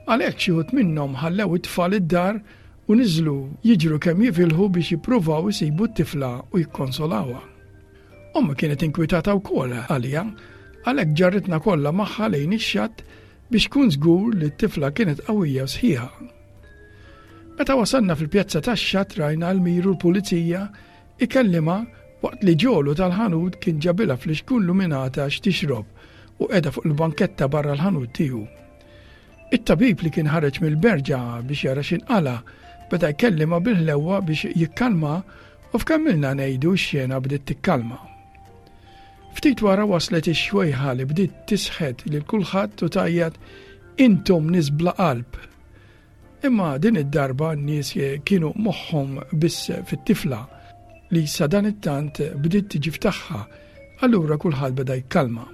Għalhekk xi wħud minnhom ħallew it-tfal id-dar u niżlu jiġru kemm jifilħu biex jippruvaw isibu t-tifla u jikkonsolawha. Ommi kienet inkwitata wkoll għaliha, għalhekk ġarritna kollha magħha lejn ix-xatt biex tkun żgur li t-tifla kienet qawwija u sħiħa. Meta wasalna fil-pjazza tax-xatt rajna l-Miru l-pulizija ikellimha waqt li Ġolu tal-ħanut kien ġabilha flixkun luminata x'tixrob u qiegħda fuq il-banketta barra l-ħanut tiegħu. It-tabib li kien ħareġ mill-berġa biex jara x'inqala' beda jkellimha bil-ħlewwa biex jikkalma u f'kemm ilna ngħidu x-xena bdiet tikkalma. Ftit wara waslet ix-xwejħa li bdiet tisħet lil kulħadd u tgħajjat intom nies bla qalb. Imma din id-darba n-nies kienu moħħhom biss fit-tifla li sadanittant bdiet tiġi f'tagħha, allura kulħadd beda jikkalma.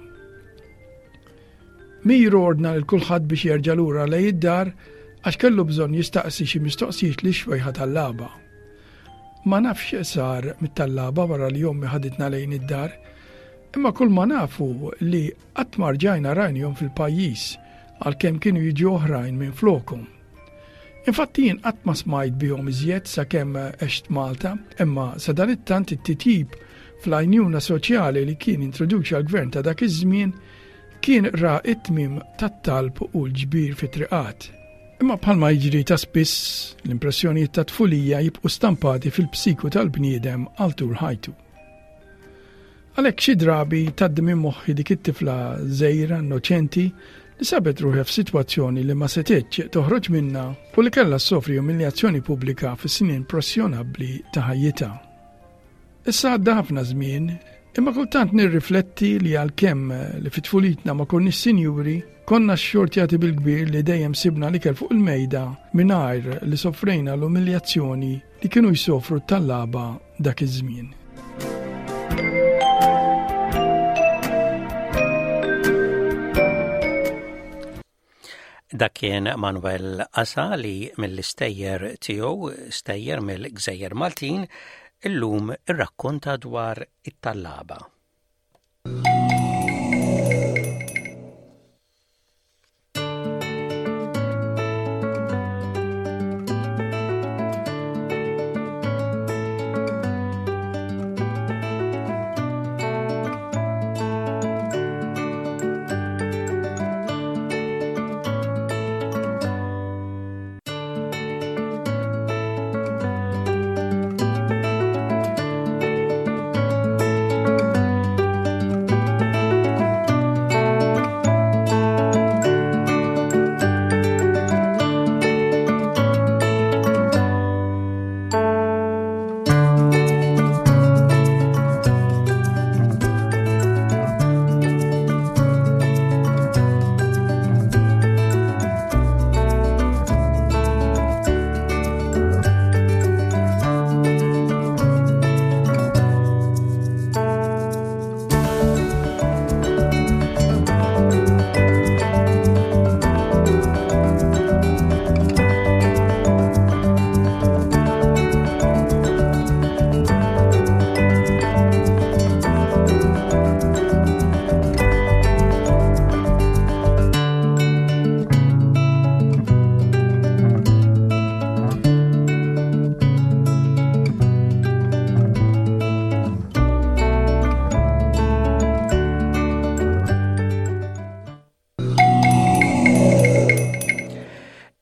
Miro ordna lil kulħadd biex jerġa' lura lejn id-dar għax kellu bżonn jistaqsi xi mistoqsijiet lix-xwejħa tallaba. Ma nafx x'sar mit-tallaba wara li ommi ħaditna lejn id-dar, imma kull ma naf hu li qatt ma rġajna rajnihom fil-pajjiż għalkemm kienu jiġu oħrajn minflokhom. Infatti jien qatt ma smajt bihom iżjed sakemm għext Malta, imma sadanittant it-titjib fl-għajnuna soċjali li kien introduċa l-gvern ta' dak iż-żmien kien ra t-tmiem tat-talb u l-ġbir fit-triqat. Imma bħalma jiġri ta' spiss, l-impressjonijiet ta' tfulija jibqu stampati fil-psiku tal-bniedem għal tul ħajtu. Għalhekk xi drabi tgħaddi minn moħħi dik it-tifla żgħira innoċenti li sabet ruħha f'sitwazzjoni li ma setgħetx toħroġ minnha u li kellha ssofri umiljazzjoni pubblika fis-snin impressjonabbli ta' ħajjitha. Issa għadda ħafna żmien, imma kultant nirrifletti li għalkemm li fi tfulitna ma konniex sinjuri, konna xxortjati bil-kbir li dejjem sibna l-ikel fuq il-mejda mingħajr li sofrejna l-umiljazzjoni li kienu jsofru t-tallaba dak iż-żmien. Dak kien Manuel Asa li mill-istejjer tiegħu, stejjer mill-Gżejjer Maltin, illum irrakkonta dwar it-tallaba.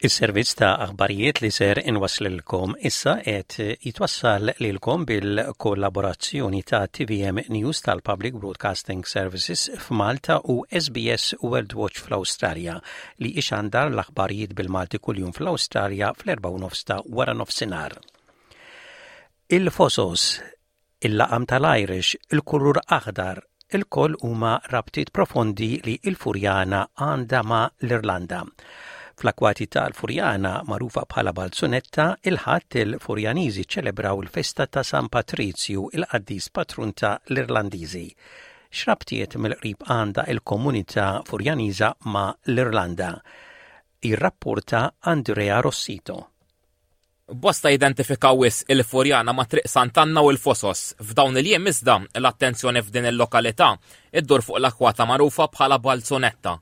Is-servizz ta' aħbarijiet li ser inwasslilkom issa qed jitwassal lilkom bil-kollaborazzjoni ta' TVM News tal-Public Broadcasting Services f'Malta u SBS World Watch fl-Awstralja li ixandar l-aħbarijiet bil-Malti kuljum fl-Awstralja fl-4:30 ta' wara nofsinhar. Il-Fosos Il-laqam tal-Irish, il-kulur aħdar, ilkoll huma rabtiet profondi li l-Furjana għandha ma' l-Irlanda. Fl-akkwati tal-Furjana, magħrufa bħala Balzunetta, il-Ħadd il-Furjaniżi ċċelebraw il-festa ta' San Patrizju, il-qaddis patrun ta' l-Irlandiżi. X'rabtiet mill-qrib għandha l-komunità Furjaniża ma' l-Irlanda? Jirrapporta Andrea Rossito. Bosta jidentifikaw wisq il-Furjana ma' Triq Sant'Anna u l-Fosos. F'dawn il-jiem iżda, l-attenzjoni f'din il-lokalità iddur fuq l-akkwata magħrufa bħala Balzunetta.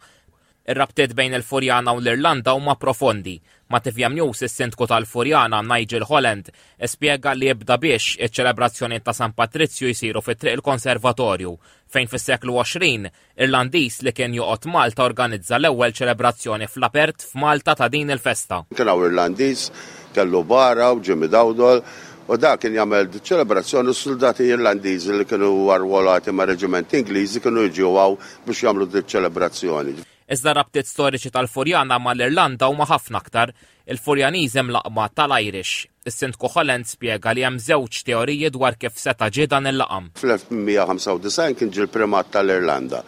Ir-rabtiet bejn il-Furjana u l-Irlanda huma profondi. Ma' tvm News is-Sindku tal-Furjana, Nigel Holland, spjega li jibda biex iċ-ċelebrazzjonijiet ta' San Patrizju jsiru fi Triq il-Konservatorju, fejn fis-seklu 20 Irlandiż li kien joqgħod Malta organizza l-ewwel ċelebrazzjoni fl-apert f'Malta ta' din il-festa. Kien hawn Irlandiż, kellu bara u Jimmy Dowdall u dak kien jagħmel ċelebrazzjoni u s-suldati Irlandiżi li kienu arwolati ma' reġimenti Ingliżi kienu jiġu hawn biex jagħmlu diċ-ċelebrazzjoni. Iżda r-rabtiet storiċi tal-Furjana mal-Irlanda huma ħafna aktar. Il-Furjaniżi mlaqqma tal-Irish. Is-Sindku Holland spjega li hemm żewġ teoriji dwar kif seta' ġie dan il-laqam. Fl-1895 kien ġie l-Primat tal-Irlanda,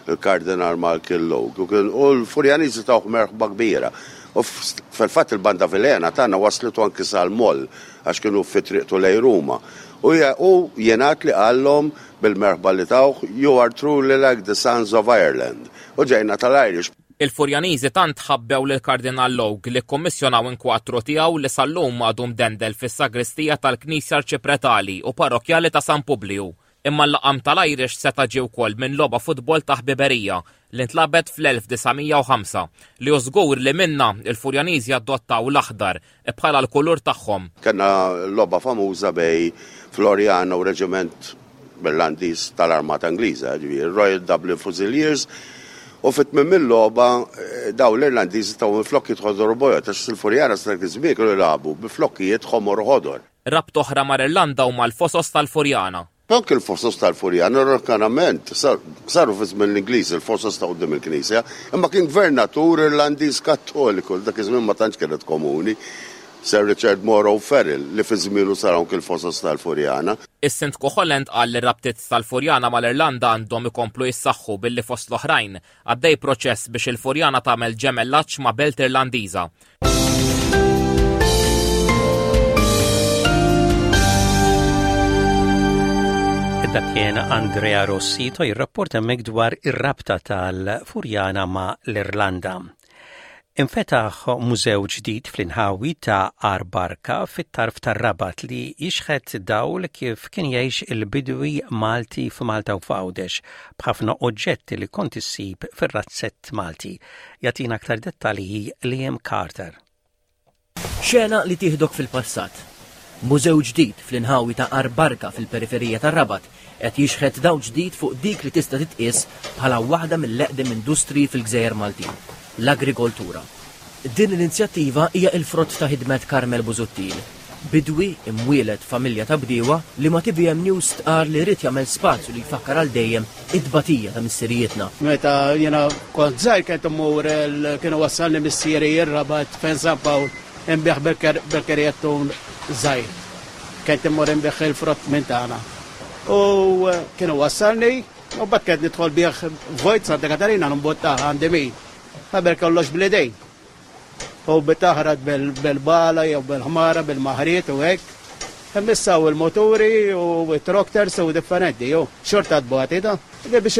il-Kardinal Malcolm Logue, u kien u l-Furjaniżi tawh merħba kbira. U fil-fatt il-Banda Vilhena tagħna wasslitu anki sal-Moll għax kienu fi triqtu lejn Ruma. U hu jingħad li qallhom bil-merħba li tawh, You are truly like the sons of Ireland. U ġejna tal-Irish. Il-Furjaniżi tant ħabbew lill-Kardinal Logue li kkummissjonaw inkwatru tiegħu li sal-lum għadu mdendel fis-sagristija tal-Knisja Arċipretali u Parrokkjali ta' San Publiju. Imma l-laqam tal-Irish seta' ġie wkoll minn logħba futbol ta' ħbiberija li ntlagħbet fl-1905, li hu żgur li minnha l-Furjaniżi adottaw l-aħdar bħala l-kulur tagħhom. Kellna logħba famuża bejn Floriana u reġiment Irlandiż tal-Armata Ingliża, jiġifieri Royal Dublin Fusiliers, u fi tmiem il-logħba dawn l-Irlandiżi tawhom il-flokkijiet ħodor u bojod għax il-Furjana sa dak iż-żmien kienu jilagħbu bi flokkijiet ħomor u ħodor. Rabta oħra mal-Irlanda huma l-fosos tal-Furjana. Anki l-fosos tal-Furjana, ironikament, saru fi żmien l-Ingliżi, l-fosos ta' quddiem il-knisja, imma kien gvernatur Irlandiż Kattoliku, li dak iż-żmien ma tantx kienet komuni, Sir Richard Moore O'Farrell, li fi żmienu saru anki l-fosos tal-Furjana. Is-Sindku Holland qal li r-rabtiet tal-Furjana mal-Irlanda għandhom ikomplu jissaħħu billi fost l-oħrajn Għaddej proċess biex il-Furjana tagħmel ġemellaġġ ma' belt Irlandiża. Dak kien Andrea Rossito jirrapporta hemmhekk dwar ir-rabta tal-Furjana ma' l-Irlanda. Infetaħ mużew ġdid fl-inħawi ta' Għar Barka fit-tarf tar-Rabat li jixħet dawl kif kien jgħix il-bidwi Malti f'Malta u f'Għawdex b'ħafna oġġetti li kont issib fir-razzett Malti. Jagħtina aktar dettalji Liam Carter. Xena li tieħdok fil-passat. Mużew ġdid fl-inħawi ta' Għar Barka fil-periferija tar-Rabat qed jixħet dawl ġdid fuq dik li tista' titqies bħala waħda mill-eqdem industriji fil-gżejjer Maltin, l-agrikoltura. Din l-inizjattiva hija l-frott ta' ħidmet Carmel Busuttil, bidwi imwieled f'familja ta' bdiewa li ma' tvm News stqarr li ried jagħmel spazju li jfakkar għal dejjem it-tbatija ta' missirijietna. Meta jiena kont żgħir kont immur kien iwassalni missieri r-Rabat fejn San Pawl inbigħ bil-kerjettun żgħir. Kont immur inbigħ il-frott minn tagħna. U kien iwassalni u mbagħad kont nidħol bih vojt Santa Katarina nimbuttah għandi min. Qabel kollox bl-idejn. U bitaħrat bil-bala jew bil-ħmara, bil-maħriet u hekk. Imma issa hawn il-moturi u t-tractors u differenti, u xorta tbati da. Li biex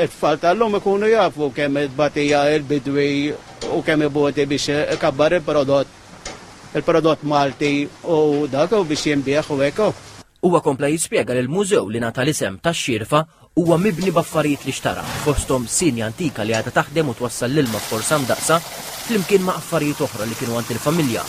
it-tfal tal-lum ikunu jafu kemm tbatija il-bidwi u kemm iboti biex ikabbar il-prodott, il-prodott Malti u dak u biex jinbiegħ u hekk. Huwa kompla jispjega li l-mużew li ngħata l-isem tax-Xierfa huwa mibni b'affarijiet li xtara, fosthom sienja antika li għadha taħdem u twassal l-ilma b'forza mdaqqsa, flimkien ma' affarijiet oħra li kienu għand il-familja.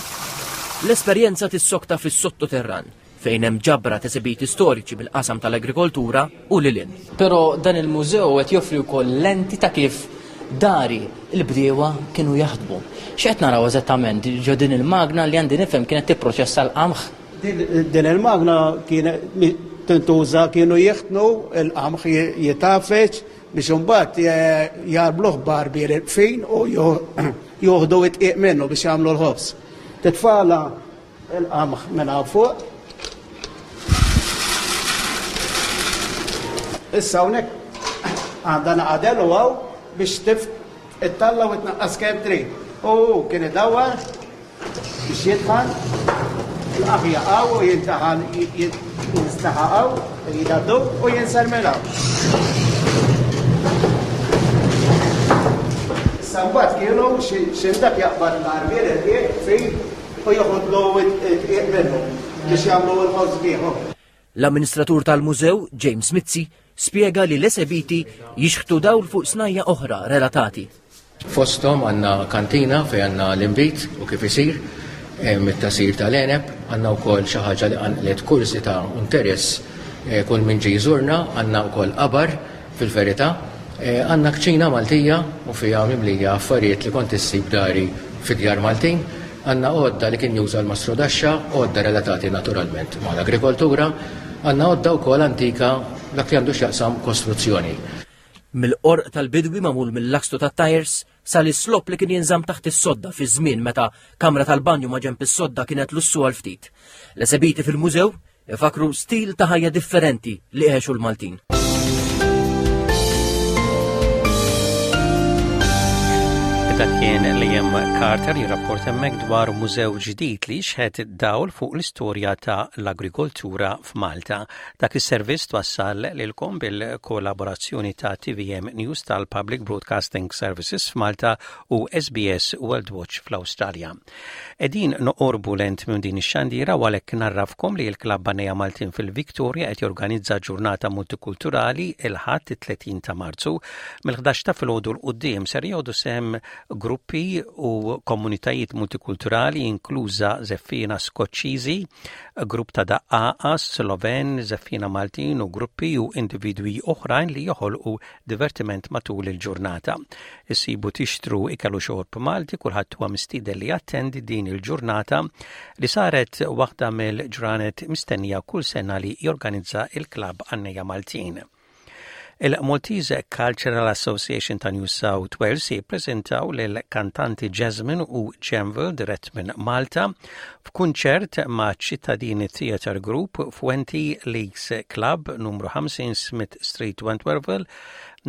L-esperjenza tissokta fis-sottoterran, fejn hemm ġabra t'esebiti storiċi mill-qasam tal-agrikoltura u lil hinn. Però dan il-mużew qed joffri wkoll lenti ta' kif dari l-bdiewa kienu jaħdmu. X'qed naraw eżattament ġo din il-magna li għandi nifhem kienet tipproċessa l-qamħ? Din il-magna kienet tintuża kienu jiħtnu l-qamħ jitafeġ biex imbagħad jgħarbluh b'għarbiel fin u joħdu it-tqiq minnu biex jagħmlu l-ħobż. Titfala Il-qamħ minn hawn fuq. Issa hawnhekk għandha naqadel u hawn biex tif ittalla u tnaqqas kemm trid. U hu kien idawwar biex jitħan il-qamħ jaqgħu u jintaħan jinstaħaqgħu jidaddu u jinsel minn hawn. Issa mbagħad kienu xi dak jaqbad l-għarbiel irqiq fin u joħodlu d-dqiq minnu biex jagħmlu l-ħobż bih. L-amministratur tal-mużew, James Mizzi, spjega li l-esebiti jixħtu dawl fuq snajja oħra relatati. Fosthom għandna kantina fejn għandna l-inbid u kif isir mit-tasir tal-għeneb, għandna wkoll xi ħaġa li qanqlet kurżità u interess eh, kull min ġie jżurna, għandna wkoll qabar Fil-verità, għandna kċina Maltija u fiha mimlija affarijiet li kont issib dari fid-djar Maltin. Għandna għodda li kien juża l-mastrudaxxa, għodda relatati naturalment mal-agrikoltura. Għandna għodda wkoll antika dak li għandu x'jaqsam kostruzzjoni. Mill-qorq tal-bidwi magħmul mill-lakstu tat-tajers sal-islopp li kien jinżamm taħt is-sodda fi żmien meta kamra tal-banju ma' ġenb is-sodda kienet lussu għal ftit. L-esebiti fil-mużew Ifakru stil ta' ħajja differenti li għexu l-Maltin. Dak kien Liam Carter jirrapport hemmhekk dwar mużew ġdid li jixħet dawl fuq l-istorja ta' l-agrikoltura f'Malta. Dak is-servizz twassal lilkom bil-kollaborazzjoni ta' TVM News tal-Public Broadcasting Services f'Malta u SBS World Watch fl-Awstralja. Qegħdin noqorbu lent minn din ix-xandira u għalhekk ngħarrafkom li l-Klabb Għannejja Maltin fil-Victoria qed jorganizza ġurnata multikulturali il-Ħadd it-30 ta' Marzu. Mill-11 ta' filgħodu 'l quddiem ser jieħdu sehem gruppi u komunitajiet multikulturali inkluża żeffiena Skoċċiżi, grupp ta' daqqaqa Sloven, żeffiena Maltin u gruppi u individwi oħrajn li joħolqu divertiment matul il-ġurnata. Issibu tixtru ikel u xorb Malti, kulħadd huwa mistieden li jattendi din il-ġurnata li saret waħda mill-ġranet mistennija kull sena li jorganizza il-Klabb Għannejja Maltin. Il-Maltese Cultural Association ta' New South Wales jippreżentaw lil kantanti Jasmine u Janville dirett minn Malta f'kunċert ma' Ċittadini Theatre Group f'Wenty Leagues Club numru 50 Smith Street Wentworthville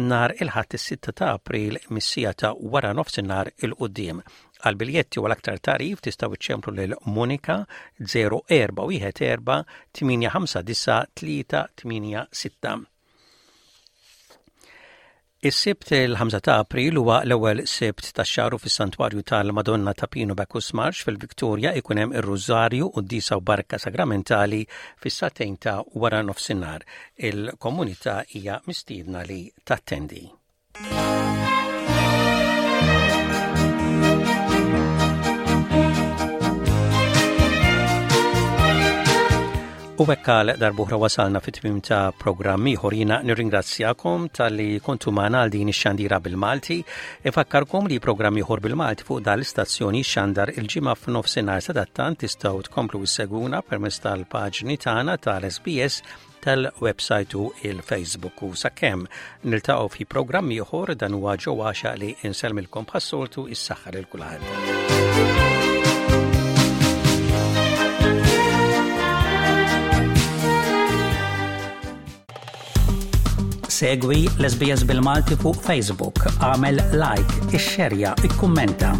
nhar il-Ħadd is-6 ta' April mis-siegħa ta' wara nofsinhar 'il quddiem. Għal biljetti u għal aktar tagħrif tistgħu iċċemplu lil Monica 0414 859 386. Is-Sibt il-5 ta' April huwa l-ewwel Sibt tax-xahar u fis-Santwarju tal-Madonna ta' Pinu Bacchus Marsh fil-Victoria ikun hemm ir-Rużarju, Quddiesa u Barka Sagramentali fis-sagħtejn ta' wara nofsinhar. Il-komunità hija mistiedna li tattendi. U hekk għal darbuħra wasalna fit-tmim ta' programm ieħor jiena nirringrazzjakom talli kontu magħna għal din ix-xandira bil-Malti. Ifakkarkom li programm ieħor bil-Malti fuq dan l-istazzjoni xandar il-ġimgħa f'nofsinhar sadattant tistgħu tkomplu issegwuna permezz tal-paġni tagħna tal-SBS tal-website u il-Facebook u sakemm niltaqgħu fi programm ieħor dan huwa ġo għaxa li insellmilkom bħas-soltu is-saħħa lil kulħadd. Segwi l-SBS bil-Malti fuq Facebook, għamel like, ixxerja, ikkummenta.